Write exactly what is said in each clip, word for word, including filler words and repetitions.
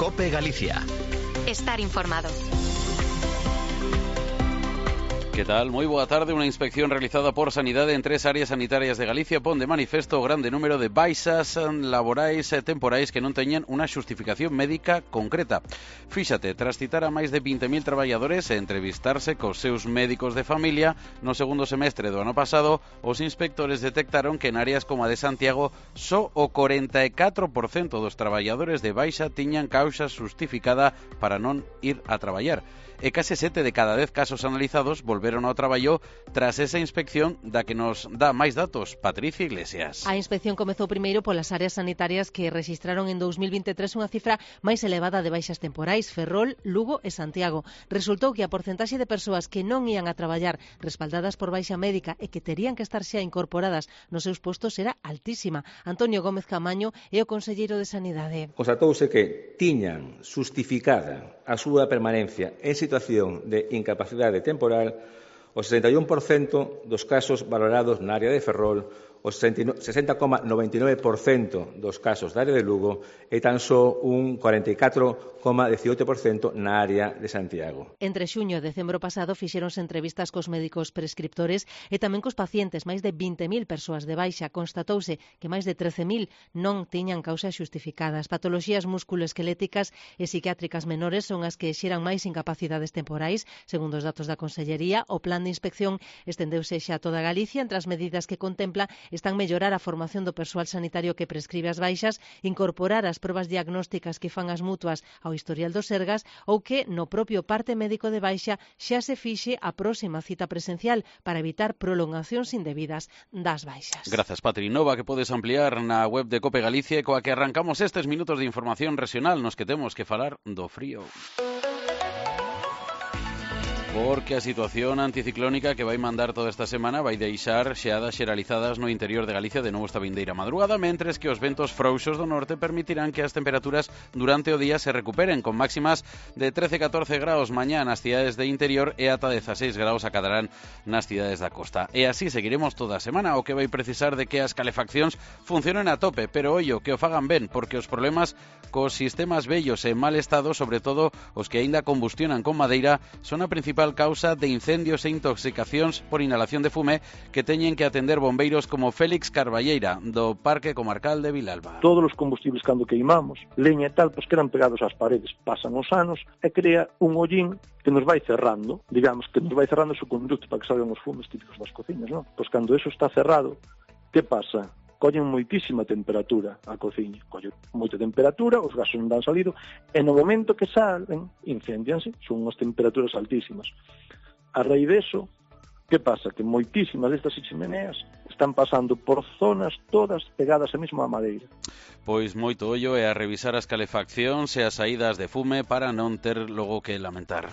COPE Galicia. Estar informado. Que tal? Moi boa tarde. Unha inspección realizada por Sanidade en tres áreas sanitarias de Galicia pon de manifesto o grande número de baixas laborais e temporais que non teñen unha xustificación médica concreta. Fíxate, tras citar a máis de vinte mil traballadores e entrevistarse cos seus médicos de familia, no segundo semestre do ano pasado, os inspectores detectaron que en áreas como a de Santiago só o corenta e catro por cento dos traballadores de baixa tiñan causa xustificada para non ir a traballar. E case sete de cada dez casos analizados volveron ao traballo tras esa inspección da que nos dá máis datos Patricia Iglesias. A inspección comezou primeiro polas áreas sanitarias que rexistraron en dous mil vinte e tres unha cifra máis elevada de baixas temporais, Ferrol, Lugo e Santiago. Resultou que a porcentaxe de persoas que non ían a traballar respaldadas por baixa médica e que terían que estar xa incorporadas nos seus postos era altísima. Antonio Gómez Camaño é o conselleiro de Sanidade. Constatouse que tiñan xustificada a súa permanencia en situación de incapacidade temporal o sesenta e un por cento dos casos valorados na área de Ferrol, o sesenta coma noventa e nove por cento dos casos da área de Lugo e tan só un cuarenta e catro coma diecioito por cento na área de Santiago. Entre xuño e decembro pasado fixéronse entrevistas cos médicos prescriptores e tamén cos pacientes. Máis de vinte mil persoas de baixa. Constatouse que máis de trece mil non tiñan causas xustificadas. Patoloxías musculoesqueléticas e psiquiátricas menores son as que xeran máis incapacidades temporais. Segundo os datos da Consellería, o plan de inspección estendeuse xa a toda Galicia. Entre as medidas que contempla están mellorar a formación do persoal sanitario que prescribe as baixas, incorporar as probas diagnósticas que fan as mutuas ao historial dos Sergas ou que no propio parte médico de baixa xa se fixe a próxima cita presencial para evitar prolongacións indebidas das baixas. Grazas, Patri. Nova que podes ampliar na web de Cope Galicia, coa que arrancamos estes minutos de información regional nos que temos que falar do frío. Porque a situación anticiclónica que vai mandar toda esta semana vai deixar xeadas xeralizadas no interior de Galicia de novo esta vindeira madrugada, mentres que os ventos frouxos do norte permitirán que as temperaturas durante o día se recuperen, con máximas de trece a catorce graus mañá nas cidades de interior e ata dezaseis graus acadarán nas cidades da costa. E así seguiremos toda a semana, o que vai precisar de que as calefaccións funcionen a tope, pero ollo, que o fagan ben, porque os problemas cos sistemas vellos e en mal estado, sobre todo os que aínda combustionan con madeira, son a principal causa de incendios e intoxicacións por inhalación de fume que teñen que atender bombeiros como Félix Carballeira, do Parque Comarcal de Vilalba. Todos os combustibles cando queimamos, leña e tal, pois quedan pegados ás paredes, pasan os anos e crea un hollín que nos vai cerrando, digamos, que nos vai cerrando o seu conducto para que salgan os fumes típicos das cociñas, non? Pois cando eso está cerrado, que pasa? Collen moitísima temperatura a cociña, collen moita temperatura, os gases non dan salido, e no momento que salen, incendianse, son unhas temperaturas altísimas. A raíz deso, que pasa? Que moitísimas destas chimeneas están pasando por zonas todas pegadas a mesma madeira. Pois moito ollo é a revisar as calefaccións e as saídas de fume para non ter logo que lamentar.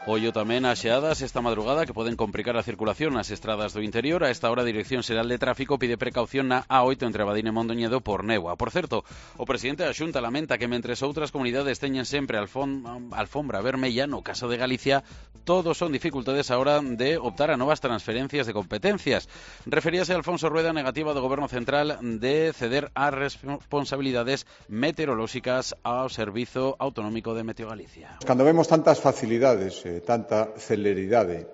Ollo tamén a xeadas esta madrugada que poden complicar a circulación nas estradas do interior. A esta hora a Dirección Xeral de Tráfico pide precaución na A oito entre Abadín e Mondoñedo por néboa. Por certo, o presidente da Xunta lamenta que mentres outras comunidades teñen sempre alfombra vermella, no caso de Galicia, todos son dificultades a hora de optar a novas transferencias de competencias. Referíase a Alfonso Rueda a negativa do Goberno Central de ceder as responsabilidades meteorolóxicas ao Servizo Autonómico de Meteo Galicia. Cando vemos tantas facilidades, eh, tanta celeridade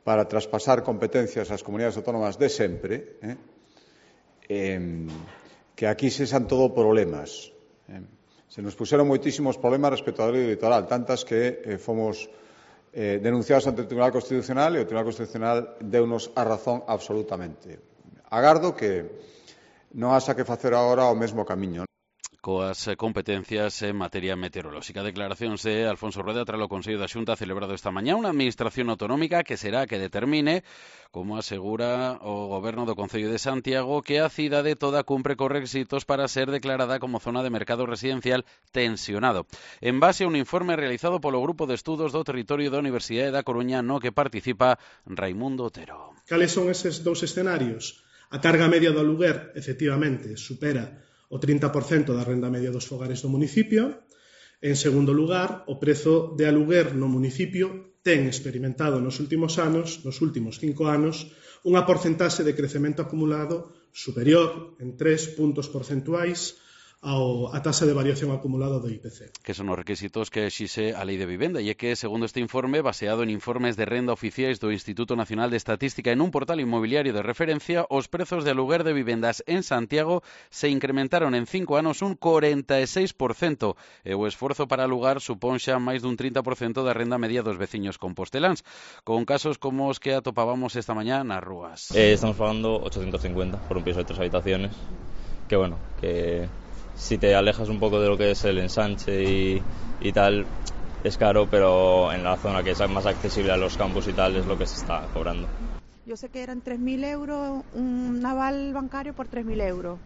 para traspasar competencias ás comunidades autónomas de sempre, eh, eh, que aquí sesan todo problemas. Eh. Se nos puxeron moitísimos problemas respecto á lei litoral, tantas que eh, fomos eh, denunciados ante o Tribunal Constitucional e o Tribunal Constitucional deunos a razón absolutamente. Agardo que non haxa que facer agora o mesmo camiño. Coas competencias en materia meteorolóxica. Declaracións de Alfonso Rueda tras o Consello da Xunta celebrado esta mañá, unha administración autonómica que será que determine, como asegura o Goberno do Concello de Santiago, que a cidade toda cumpre cos requisitos para ser declarada como zona de mercado residencial tensionado, en base a un informe realizado polo Grupo de Estudos do Territorio da Universidade da Coruña, no que participa Raimundo Otero. Cales son eses dous escenarios? A carga media do aluguer, efectivamente, supera o trinta por cento da renda media dos fogares do municipio. En segundo lugar, o prezo de aluguer no municipio ten experimentado nos últimos anos, nos últimos cinco anos, unha porcentaxe de crecemento acumulado superior en tres puntos porcentuais ao, a tasa de variación acumulada do I P C. Que son os requisitos que exixe a Lei de Vivenda e é que, segundo este informe, baseado en informes de renda oficiais do Instituto Nacional de Estatística en un portal inmobiliario de referencia, os prezos de aluguer de vivendas en Santiago se incrementaron en cinco anos un corenta e seis por cento e o esforzo para alugar supón xa máis dun trinta por cento da renda media dos veciños composteláns, con casos como os que atopábamos esta mañá nas rúas. Eh, estamos pagando ochocientos cincuenta por un piso de tres habitaciones, que bueno, que si te alejas un poco de lo que es el ensanche y, y tal, es caro, pero en la zona que es más accesible a los campos y tal es lo que se está cobrando. Yo sé que eran tres mil euros, un aval bancario por tres mil euros.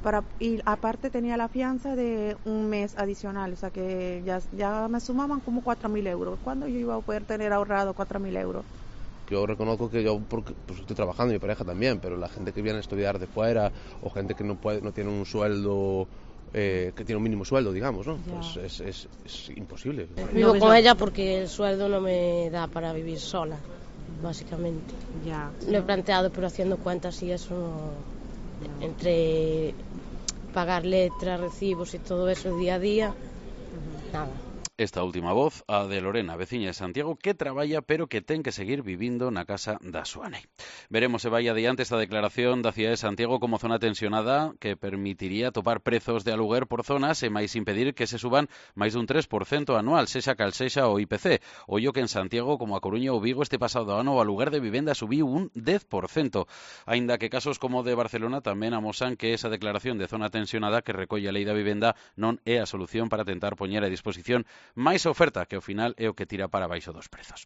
Para, y aparte tenía la fianza de un mes adicional, o sea que ya, ya me sumaban como cuatro mil euros. ¿Cuándo yo iba a poder tener ahorrado cuatro mil euros? Yo reconozco que yo porque, pues, estoy trabajando, mi pareja también, pero la gente que viene a estudiar de fuera o gente que no puede, no tiene un sueldo, eh, que tiene un mínimo sueldo, digamos, ¿no? Ya. Pues es, es, es imposible. Vivo con ella porque el sueldo no me da para vivir sola, básicamente. Ya. Lo he planteado, pero haciendo cuentas y eso, no, entre pagar letras, recibos y todo eso día a día, uh-huh. nada. Esta última voz, a de Lorena, veciña de Santiago, que traballa pero que ten que seguir vivindo na casa da súa nai. Veremos se vai adiante esta declaración da cidade de Santiago como zona tensionada que permitiría topar prezos de aluguer por zonas e máis impedir que se suban máis dun tres por cento anual, sexa cal sexa o I P C. Ollo que en Santiago, como a Coruña ou Vigo, este pasado ano o aluguer de vivenda subiu un dez por cento. Aínda que casos como o de Barcelona tamén amosan que esa declaración de zona tensionada que recolle a Lei da Vivenda non é a solución para tentar poñer a disposición máis oferta, que ao final é o que tira para baixo dos prezos.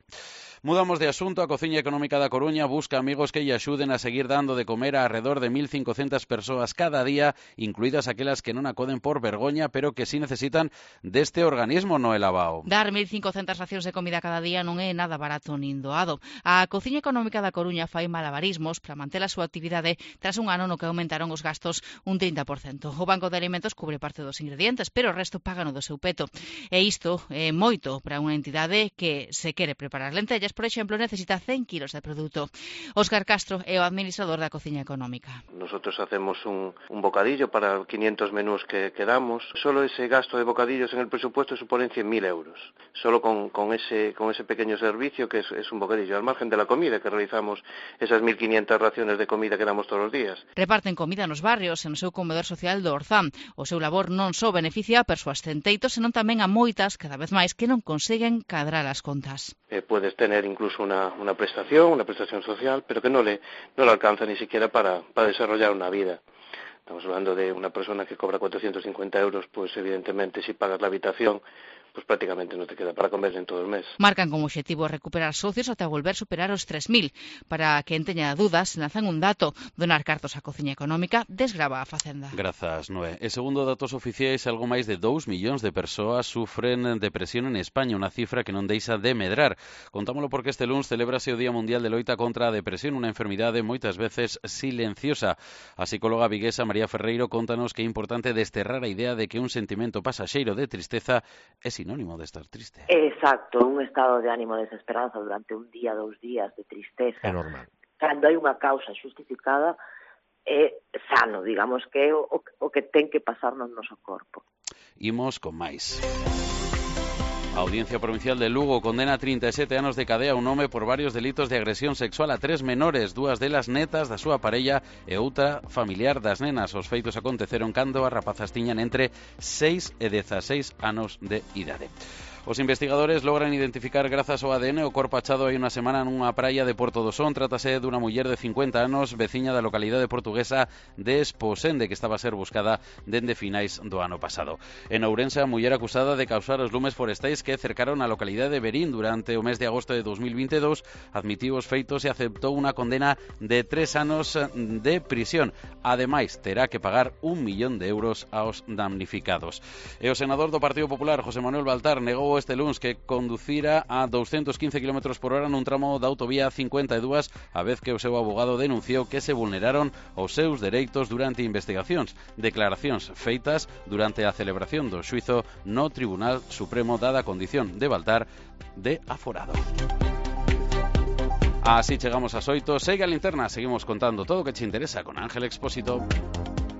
Mudamos de asunto. A Cociña Económica da Coruña busca amigos que lle axuden a seguir dando de comer a alrededor de mil cincocentas persoas cada día, incluídas aquelas que non acoden por vergoña, pero que sí necesitan deste organismo, Noel Abao. Dar mil cincocentas racións de comida cada día non é nada barato nin doado. A Cociña Económica da Coruña fai malabarismos para manter a súa actividade tras un ano no que aumentaron os gastos un trinta por cento. O Banco de Alimentos cubre parte dos ingredientes, pero o resto págano do seu peto. E isto é moito para unha entidade que se quere preparar lentellas, por exemplo, necesita cen kilos de produto. Óscar Castro é o administrador da Cociña Económica. Nosotros hacemos un, un bocadillo para quinientos menús que, que damos. Solo ese gasto de bocadillos en el presupuesto supone cien mil euros. Solo con, con, ese, con ese pequeño servicio que es, es un bocadillo, al margen de la comida que realizamos, esas mil quinientas raciones de comida que damos todos los días. Reparten comida nos barrios e no seu comedor social do Orzán. O seu labor non só beneficia a persoas centeitos, senón tamén a moitas, cada vez máis, que non conseguen cadrar as contas. Eh, puedes tener incluso una, una prestación, una prestación social, pero que no le, no le alcanza ni siquiera para, para desarrollar una vida. Estamos hablando de una persona que cobra cuatrocientos cincuenta euros, pues evidentemente si pagas la habitación, pues prácticamente no te queda para comer en todo el mes. Marcan como objetivo recuperar socios ata volver a superar os tres mil. Para quen teña dudas, lanzan un dato: donar cartos á Cociña Económica desgrava a Facenda. Grazas, Noé. E segundo datos oficiais, algo máis de dous millóns de persoas sufren depresión en España, unha cifra que non deixa de medrar. Contámolo porque este luns celébrase o Día Mundial de Loita contra a Depresión, unha enfermidade moitas veces silenciosa. A psicóloga viguesa María Ferreiro contanos que é importante desterrar a idea de que un sentimento pasaxeiro de tristeza é sinónimo de estar triste. Exacto, un estado de ánimo de desesperanza durante un día, dous días de tristeza. É normal. Cando hai unha causa xustificada, é sano, digamos que é o, o que ten que pasar no noso corpo. Imos con máis. A Audiencia Provincial de Lugo condena a trinta e sete anos de cadea a un home por varios delitos de agresión sexual a tres menores, dúas delas netas da súa parella e outra familiar das nenas. Os feitos aconteceron cando as rapazas tiñan entre seis e dezaseis anos de idade. Os investigadores logran identificar grazas ao A D N o corpo achado hai unha semana nunha praia de Porto do Son. Trátase dunha muller de cincuenta anos, veciña da localidade portuguesa de Esposende, que estaba a ser buscada dende finais do ano pasado. En Ourense, a muller acusada de causar os lumes forestais que cercaron a localidade de Verín durante o mes de agosto de dos mil vinte e dous admitiu os feitos e aceptou unha condena de tres anos de prisión. Ademais, terá que pagar un millón de euros aos damnificados. E o senador do Partido Popular, José Manuel Baltar, negou este luns que conducira a doscientos quince kilómetros por hora nun tramo da autovía cincuenta e dúas, a vez que o seu abogado denunciou que se vulneraron os seus dereitos durante investigacións, declaracións feitas durante a celebración do xuizo no Tribunal Supremo, dada a condición de Baltar de aforado. Así chegamos ás oito. Segue a linterna, seguimos contando todo o que che interesa con Ángel Expósito.